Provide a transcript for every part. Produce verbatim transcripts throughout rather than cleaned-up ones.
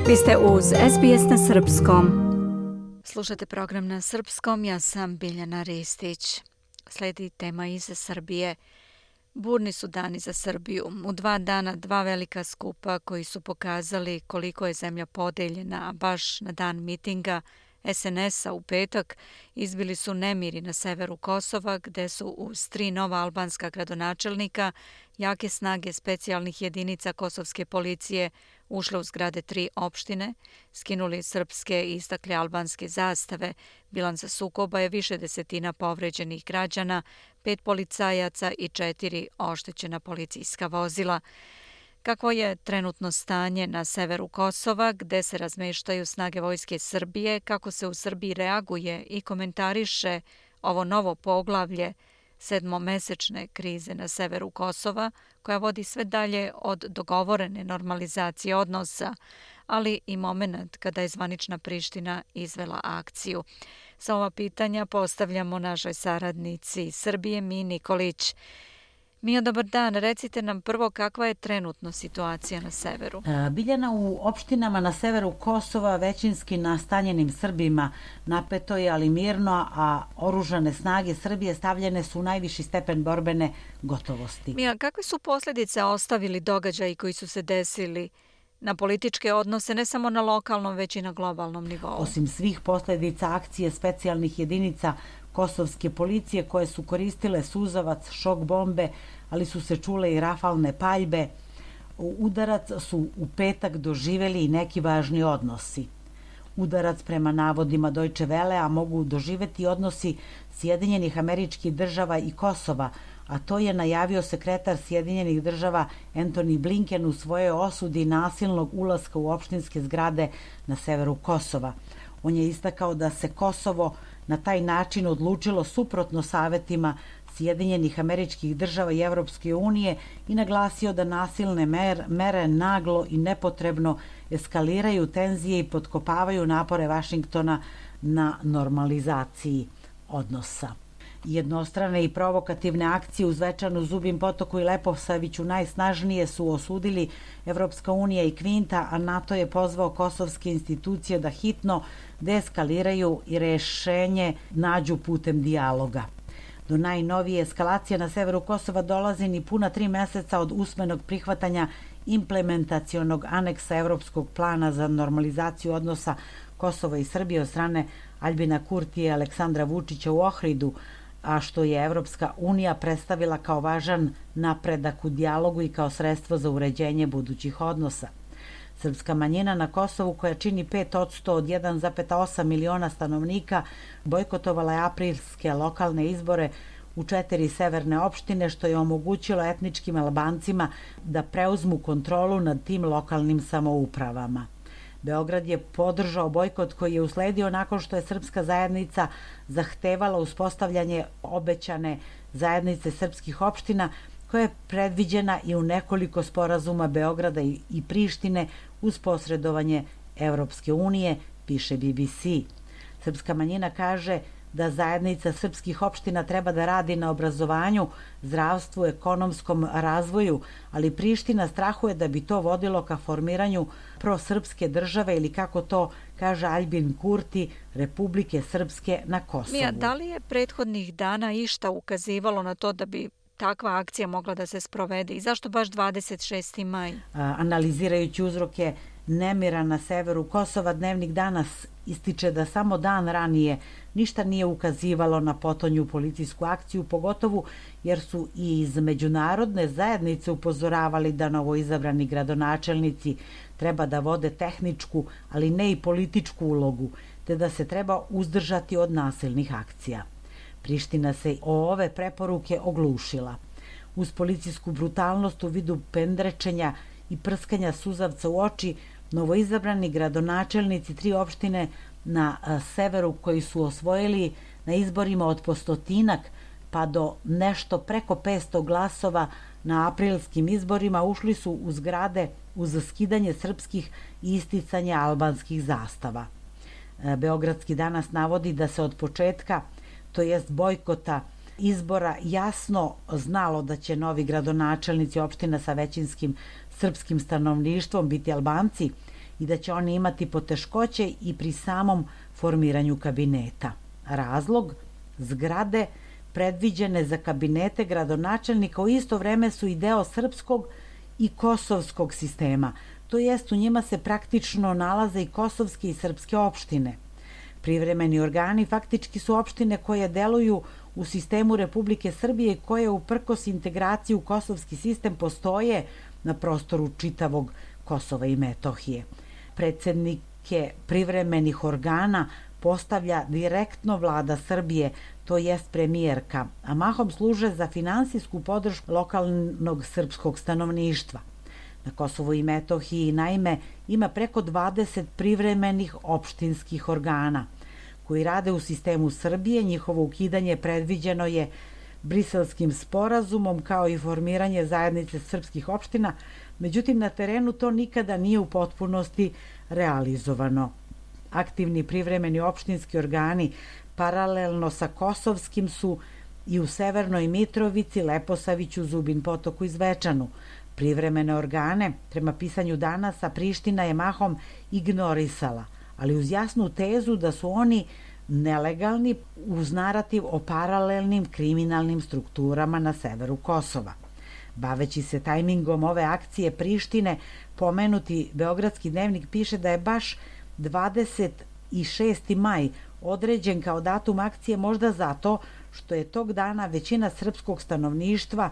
Vi ste uz S B S na srpskom. Slušate program na srpskom, ja sam Biljana Ristić. Sledi tema iz Srbije. Burni su dani za Srbiju. U dva dana dva velika skupa koji su pokazali koliko je zemlja podeljena, a baš na dan mitinga S N S-a u petak izbili su nemiri na severu Kosova, gde su uz tri nova albanska gradonačelnika jake snage specijalnih jedinica kosovske policije ušle u zgrade tri opštine, skinuli srpske i istakli albanske zastave. Bilanca sukoba je više desetina povređenih građana, pet policajaca i četiri oštećena policijska vozila. Kakvo je trenutno stanje na severu Kosova, gde se razmeštaju snage vojske Srbije, kako se u Srbiji reaguje i komentariše ovo novo poglavlje sedmomesečne krize na severu Kosova, koja vodi sve dalje od dogovorene normalizacije odnosa, ali i moment kada je zvanična Priština izvela akciju. Sa ova pitanja postavljamo našoj saradnici iz Srbije, Miji Nikolić. Mija, dobar dan. Recite nam prvo kakva je trenutno situacija na severu. Biljana, u opštinama na severu Kosova većinski nastanjenim Srbima napeto je, ali mirno, a oružane snage Srbije stavljene su u najviši stepen borbene gotovosti. Mija, kakve su posljedice ostavili događaji koji su se desili na političke odnose, ne samo na lokalnom, već i na globalnom nivou? Osim svih posljedica akcije specijalnih jedinica kosovske policije koje su koristile suzavac, šok bombe, ali su se čule i rafalne paljbe, udarac su u petak doživeli i neki važni odnosi. Udarac prema navodima Deutsche Welle, a mogu doživeti odnosi Sjedinjenih Američkih Država i Kosova, a to je najavio sekretar Sjedinjenih Država Antony Blinken u svojoj osudi nasilnog ulaska u opštinske zgrade na severu Kosova. On je istakao da se Kosovo na taj način odlučilo suprotno savetima Sjedinjenih Američkih Država i Evropske unije i naglasio da nasilne mer, mere naglo i nepotrebno eskaliraju tenzije i potkopavaju napore Vašingtona na normalizaciji odnosa. Jednostrane i provokativne akcije u Zvečanu, Zubim Potoku i Leposaviću najsnažnije su osudili Evropska unija i Kvinta, a NATO je pozvao kosovske institucije da hitno deeskaliraju i rešenje nađu putem dijaloga. Do najnovije eskalacije na severu Kosova dolazi ni puna tri meseca od usmenog prihvatanja implementacionog aneksa Evropskog plana za normalizaciju odnosa Kosova i Srbije od strane Aljbina Kurtija i Aleksandra Vučića u Ohridu, a što je Evropska unija predstavila kao važan napredak u dijalogu i kao sredstvo za uređenje budućih odnosa. Srpska manjina na Kosovu, koja čini pet posto od jedan zarez osam miliona stanovnika, bojkotovala je aprilske lokalne izbore u četiri severne opštine, što je omogućilo etničkim Albancima da preuzmu kontrolu nad tim lokalnim samoupravama. Beograd je podržao bojkot koji je usledio nakon što je srpska zajednica zahtevala uspostavljanje obećane zajednice srpskih opština, koja je predviđena i u nekoliko sporazuma Beograda i Prištine uz posredovanje Evropske unije, piše B B C. Srpska manjina kaže da zajednica srpskih opština treba da radi na obrazovanju, zdravstvu, ekonomskom razvoju, ali Priština strahuje da bi to vodilo ka formiranju prosrpske države ili, kako to kaže Aljbin Kurti, Republike Srpske na Kosovu. Mija, da li je prethodnih dana išta ukazivalo na to da bi takva akcija mogla da se sprovede i zašto baš dvadeset šesti maj? A, analizirajući uzroke nemira na severu Kosova, Dnevnik danas ističe da samo dan ranije ništa nije ukazivalo na potonju policijsku akciju, pogotovo jer su i iz međunarodne zajednice upozoravali da novoizabrani gradonačelnici treba da vode tehničku, ali ne i političku ulogu, te da se treba uzdržati od nasilnih akcija. Priština se o ove preporuke oglušila. Uz policijsku brutalnost u vidu pendrečenja i prskanja suzavca u oči, novoizabrani gradonačelnici tri opštine na severu koji su osvojili na izborima od postotinak pa do nešto preko petsto glasova na aprilskim izborima ušli su u zgrade uz skidanje srpskih i isticanje albanskih zastava. Beogradski danas navodi da se od početka, to jest bojkota izbora, jasno znalo da će novi gradonačelnici opština sa većinskim srpskim stanovništvom biti Albanci i da će oni imati poteškoće i pri samom formiranju kabineta. Razlog? Zgrade predviđene za kabinete gradonačelnika u isto vreme su i deo srpskog i kosovskog sistema, to jest u njima se praktično nalaze i kosovske i srpske opštine. Privremeni organi faktički su opštine koje deluju u sistemu Republike Srbije i koje uprkos integraciji u kosovski sistem postoje na prostoru čitavog Kosova i Metohije. Predsednike privremenih organa postavlja direktno vlada Srbije, to jest premijerka, a mahom služe za finansijsku podršku lokalnog srpskog stanovništva. Na Kosovu i Metohiji, naime, ima preko dvadeset privremenih opštinskih organa koji rade u sistemu Srbije. Njihovo ukidanje predviđeno je Briselskim sporazumom kao i formiranje zajednice srpskih opština, međutim na terenu to nikada nije u potpunosti realizovano. Aktivni privremeni opštinski organi paralelno sa kosovskim su i u Severnoj Mitrovici, Leposaviću, Zubin Potoku i Zvečanu. Privremene organe, prema pisanju Danasa, Priština je mahom ignorisala, ali uz jasnu tezu da su oni nelegalni uz narativ o paralelnim kriminalnim strukturama na severu Kosova. Baveći se tajmingom ove akcije Prištine, pomenuti Beogradski dnevnik piše da je baš dvadeset šesti maj određen kao datum akcije možda zato što je tog dana većina srpskog stanovništva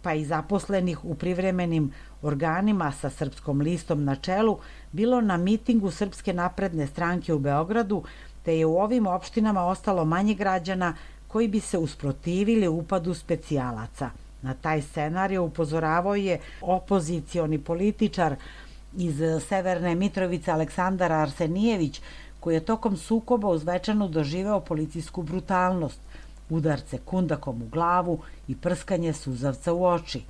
pa i zaposlenih u privremenim organima sa Srpskom listom na čelu bilo na mitingu Srpske napredne stranke u Beogradu, te je u ovim opštinama ostalo manje građana koji bi se usprotivili upadu specijalaca. Na taj scenarij upozoravao je opozicioni političar iz Severne Mitrovice Aleksandar Arsenijević, koji je tokom sukoba u Zvečanu doživeo policijsku brutalnost, udarce kundakom u glavu i prskanje suzavca u oči.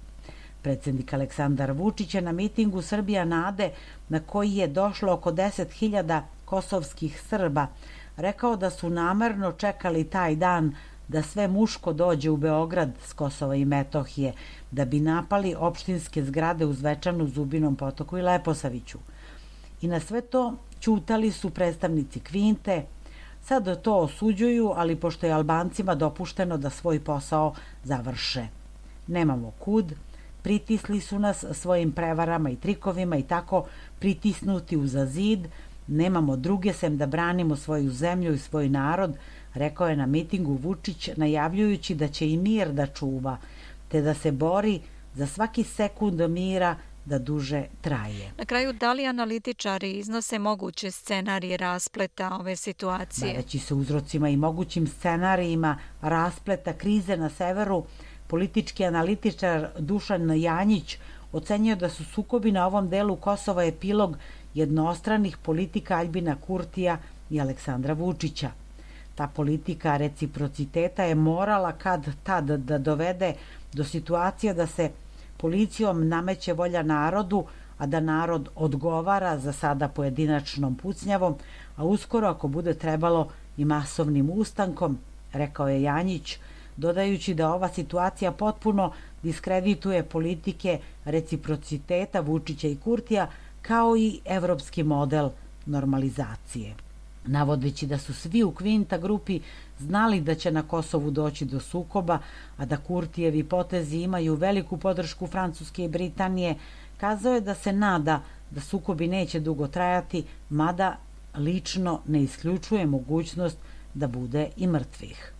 Predsednik Aleksandar Vučić je na mitingu Srbija nade, na koji je došlo oko deset hiljada kosovskih Srba, rekao da su namerno čekali taj dan da sve muško dođe u Beograd s Kosova i Metohije, da bi napali opštinske zgrade u Zvečanu, Zubinom Potoku i Leposaviću. I na sve to ćutali su predstavnici Kvinte. Sad to osuđuju, ali pošto je Albancima dopušteno da svoj posao završe. Nemamo kud, pritisli su nas svojim prevarama i trikovima i tako pritisnuti uza zid, nemamo druge sem da branimo svoju zemlju i svoj narod, rekao je na mitingu Vučić, najavljujući da će i mir da čuva, te da se bori za svaki sekund mira da duže traje. Na kraju, da li analitičari iznose moguće scenarije raspleta ove situacije? Baveći se uzrocima i mogućim scenarijima raspleta krize na severu, politički analitičar Dušan Janjić ocenio da su sukobi na ovom delu Kosova epilog jednostranih politika Aljbina Kurtija i Aleksandra Vučića. Ta politika reciprociteta je morala kad tad da dovede do situacije da se policijom nameće volja narodu, a da narod odgovara za sada pojedinačnom pucnjavom, a uskoro ako bude trebalo i masovnim ustankom, rekao je Janjić, dodajući da ova situacija potpuno diskredituje politike reciprociteta Vučića i Kurtija kao i evropski model normalizacije. Navodeći da su svi u Kvinta grupi znali da će na Kosovu doći do sukoba, a da Kurtijevi potezi imaju veliku podršku Francuske i Britanije, kazao je da se nada da sukobi neće dugo trajati, mada lično ne isključuje mogućnost da bude i mrtvih.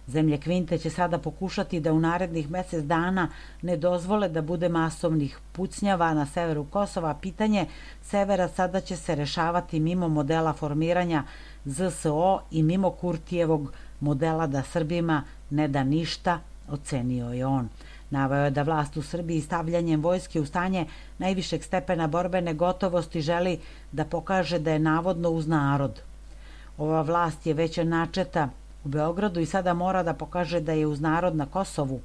Zemlje Kvinte će sada pokušati da u narednih mesec dana ne dozvole da bude masovnih pucnjava na severu Kosova, a pitanje severa sada će se rešavati mimo modela formiranja Z S O i mimo Kurtijevog modela da Srbima ne da ništa, ocenio je on. Naveo je da vlast u Srbiji stavljanjem vojske u stanje najvišeg stepena borbene gotovosti želi da pokaže da je navodno uz narod. Ova vlast je već načeta u Beogradu i sada mora da pokaže da je uz narod na Kosovu.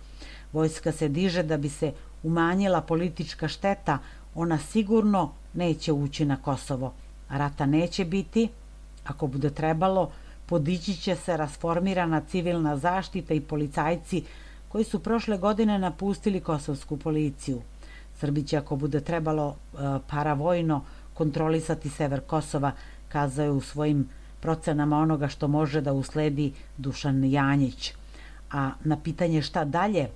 Vojska se diže da bi se umanjila politička šteta, ona sigurno neće ući na Kosovo. Rata neće biti, ako bude trebalo, podići će se rasformirana civilna zaštita i policajci koji su prošle godine napustili kosovsku policiju. Srbi će, ako bude trebalo, paravojno kontrolisati sever Kosova, kazao je u svojim procenama onoga što može da usledi Dušan Janjić. A na pitanje šta dalje,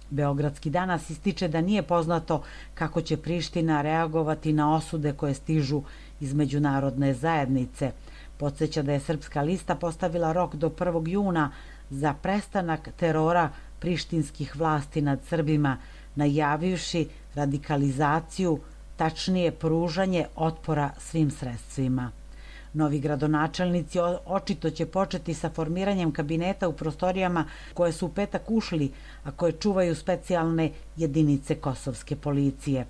Beogradski danas ističe da nije poznato kako će Priština reagovati na osude koje stižu iz međunarodne zajednice. Podsjeća da je Srpska lista postavila rok do prvog juna za prestanak terora prištinskih vlasti nad Srbima, najavivši radikalizaciju, tačnije pružanje otpora svim sredstvima. Novi gradonačelnici očito će početi sa formiranjem kabineta u prostorijama koje su u petak ušli, a koje čuvaju specijalne jedinice kosovske policije.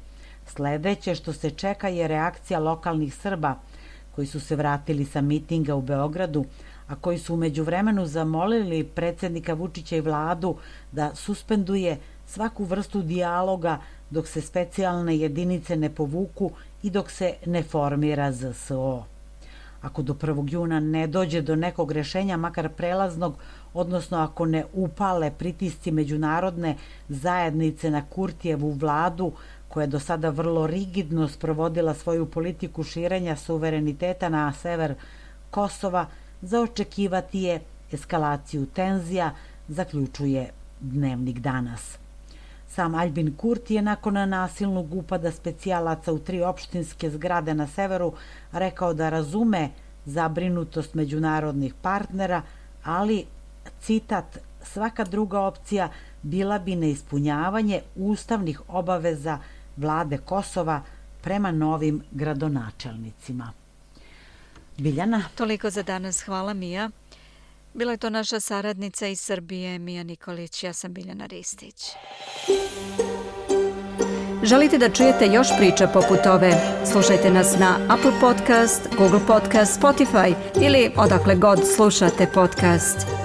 Sledeće što se čeka je reakcija lokalnih Srba koji su se vratili sa mitinga u Beogradu, a koji su u međuvremenu zamolili predsjednika Vučića i vladu da suspenduje svaku vrstu dijaloga dok se specijalne jedinice ne povuku i dok se ne formira Z S O. Ako do prvog juna ne dođe do nekog rešenja, makar prelaznog, odnosno ako ne upale pritisci međunarodne zajednice na Kurtijevu vladu, koja je do sada vrlo rigidno sprovodila svoju politiku širenja suvereniteta na sever Kosova, za očekivati je eskalaciju tenzija, zaključuje Dnevnik danas. Sam Aljbin Kurti je nakon nasilnog upada specijalaca u tri opštinske zgrade na severu rekao da razume zabrinutost međunarodnih partnera, ali, citat, svaka druga opcija bila bi neispunjavanje ustavnih obaveza vlade Kosova prema novim gradonačelnicima. Biljana? Toliko za danas. Hvala, Mija. Bila je to naša saradnica iz Srbije, Mija Nikolić. Ja sam Biljana Ristić. Želite da čujete još priča poput ove? Slušajte nas na Apple Podcast, Google Podcast, Spotify ili odakle god slušate podcast.